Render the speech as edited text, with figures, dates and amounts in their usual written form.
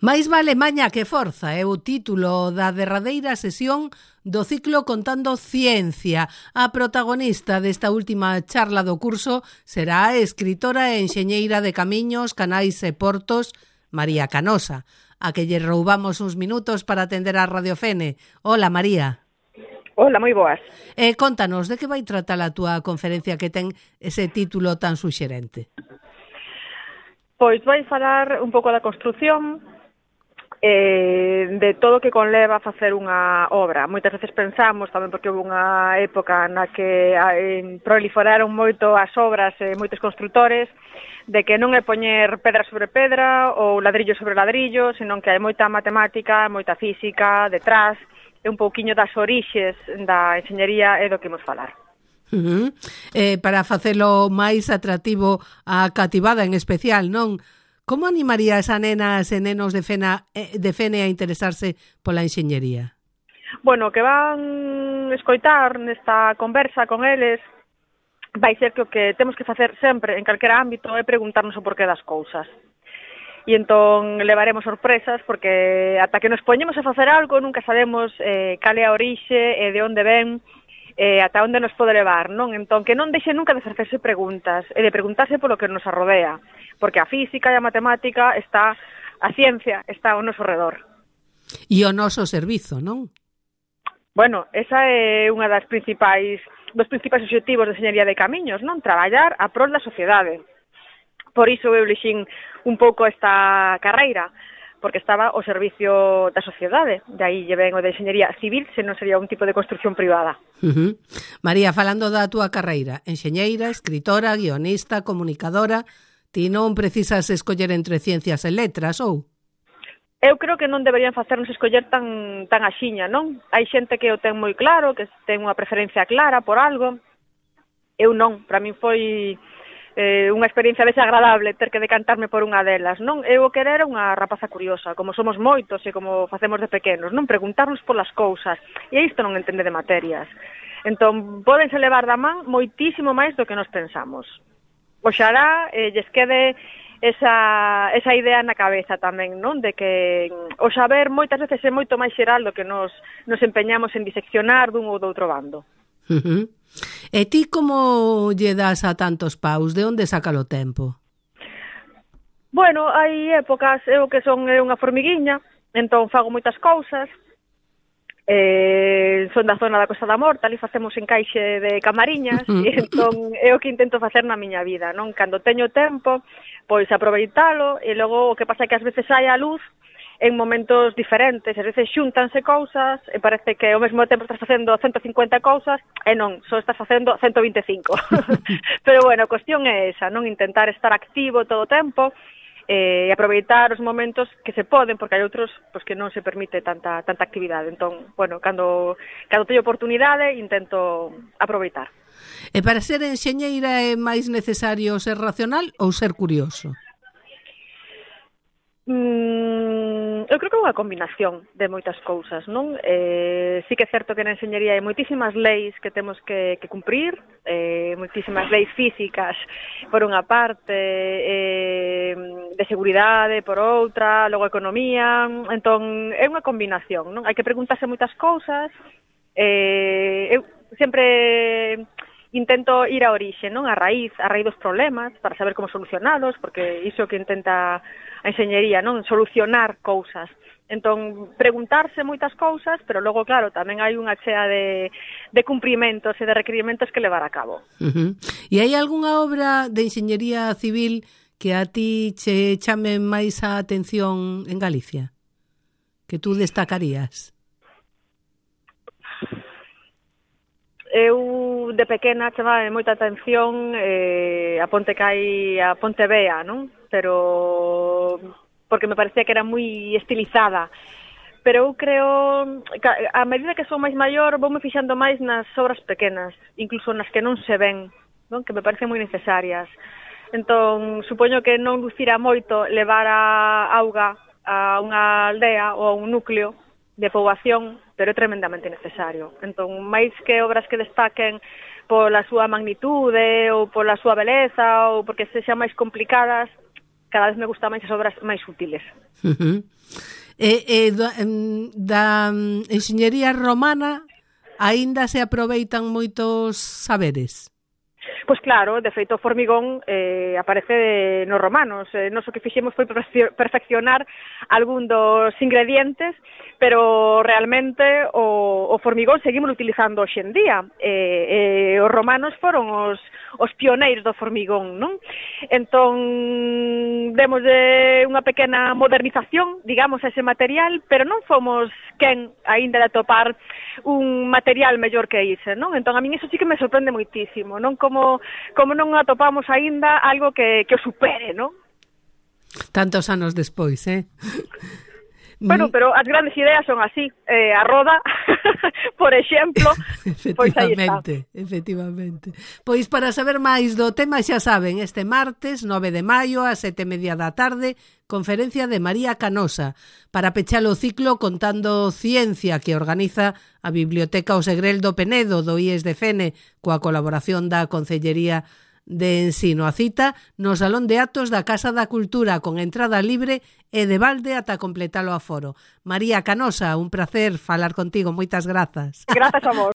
Máis vale maña que forza é o título da derradeira sesión do ciclo Contando Ciencia. A protagonista desta última charla do curso será a escritora e enxeñeira de camiños, canais e portos, María Canosa, a que lle roubamos uns minutos para atender a Radio Fene. Hola, María. Hola, moi boas. Contanos, de que vai tratar a túa conferencia que ten ese título tan suxerente? Pois vai falar un pouco da construción, de todo o que conleva a facer unha obra. Moitas veces pensamos, tamén porque houve unha época na que proliferaron moito as obras e moitos constructores, de que non é poñer pedra sobre pedra ou ladrillo sobre ladrillo, senón que hai moita matemática, moita física detrás, e un pouquiño das orixes da enxeñería é do que imos falar. Para facelo máis atractivo a cativada en especial, non? Como animarías a nenas e nenos de Fene a interesarse pola enxeñería? Bueno, o que van escoitar nesta conversa con eles vai ser que o que temos que facer sempre en calquera ámbito é preguntarnos o porqué das cousas. E entón levaremos sorpresas porque ata que nos poñemos a facer algo nunca sabemos cal é a orixe e de onde ven, ata onde nos pode levar, non? Entón, que non deixe nunca de facerse preguntas e de preguntarse polo que nos arrodea, porque a física e a matemática a ciencia está ao noso redor. E o noso servizo, non? Bueno, esa é unha dos principais obxectivos de enxeñería de camiños, non? Traballar a prol da sociedade. Por iso eu elixín un pouco esta carreira, porque estaba ao servicio da sociedade. De aí lle ven o de enxeñería civil, se non sería un tipo de construcción privada. María, falando da túa carreira, enxeñeira, escritora, guionista, comunicadora, ti non precisas escoller entre ciencias e letras, ou? Eu creo que non deberían facernos escoller tan axiña, non? Hai xente que o ten moi claro, que ten unha preferencia clara por algo. Eu non, para min foi unha experiencia desagradable ter que decantarme por unha delas, non? Eu o que era unha rapaza curiosa, como somos moitos e como facemos de pequenos, non? Preguntarnos polas cousas, e isto non entende de materias. Entón, pódense levar da man moitísimo máis do que nos pensamos. Oxalá lles quede esa idea na cabeza tamén, non? De que o saber moitas veces é moito máis xeral do que nos empeñamos en diseccionar dun ou do outro bando. E ti como lle das a tantos paus? De onde saca o tempo? Bueno, hai épocas, eu que son unha formiguiña, entón fago moitas cousas, son da zona da Costa da Morta, ali facemos encaixe de camariñas, e entón é o que intento facer na miña vida, non? Cando teño tempo, pois aproveitalo, e logo o que pasa é que ás veces hai a luz en momentos diferentes, ás veces xúntanse cousas e parece que ao mesmo tempo estás facendo 150 cousas e non, só estás facendo 125. Pero bueno, a cuestión é esa, non? Intentar estar activo todo o tempo e aproveitar os momentos que se poden, porque hai outros pois, que non se permite tanta actividade. Entón, bueno, cando teño oportunidade intento aproveitar. E para ser enxeñeira é máis necesario ser racional ou ser curioso? Eu creo que é unha combinación de moitas cousas, non? Sí que é certo que na enxeñería hai moitísimas leis que temos que cumprir, moitísimas leis físicas por unha parte, de seguridade por outra, logo economía, entón é unha combinación, non? Hai que preguntarse moitas cousas, eu sempre intento ir á orixe, non? A raíz dos problemas, para saber como solucionalos, porque iso que intenta a enxeñería, non? Solucionar cousas. Entón, preguntarse moitas cousas, pero logo, claro, tamén hai unha chea de cumprimentos e de requerimentos que levar a cabo. E hai algunha obra de enxeñería civil que a ti che chame máis a atención en Galicia? Que tú destacarías? Eu, de pequena, chamaba moita atención a ponte que hai a Ponte Vea, non? Pero porque me parecía que era moi estilizada. Pero eu creo que a medida que sou máis maior voume fixando máis nas obras pequenas, incluso nas que non se ven, non? Que me parecen moi necesarias. Entón, supoño que non lucira moito levar a auga a unha aldea ou a un núcleo de poboación, pero é tremendamente necesario. Entón, máis que obras que destaquen pola súa magnitude ou pola súa beleza ou porque sexan máis complicadas, cada vez me gustan máis as obras máis útiles. Da enxeñería romana aínda se aproveitan moitos saberes? Pois claro, de feito o formigón aparece nos romanos. Nos o que fixemos foi perfeccionar algún dos ingredientes, pero realmente o formigón seguimos utilizando hoxe en día. Os romanos foron os pioneiros do formigón, non? Entón, demos unha pequena modernización, digamos, a ese material, pero non fomos quen aínda de atopar un material mellor que ese, non? Entón, a min iso sí que me sorprende moitísimo, non? Como non atopamos aínda algo que o supere, non? Tantos anos despois, Bueno, pero as grandes ideas son así. A roda, por exemplo, pois aí está. Efectivamente. Pois para saber máis do tema, xa saben, este martes 9 de maio a 7:30 da tarde, conferencia de María Canosa para pechar o ciclo Contando Ciencia que organiza a Biblioteca O Segrel do Penedo do IES de Fene coa colaboración da Concellería de Ensino. A cita no Salón de Actos da Casa da Cultura con entrada libre e de balde ata completar o aforo. María Canosa, un placer falar contigo, moitas grazas. Grazas a vos.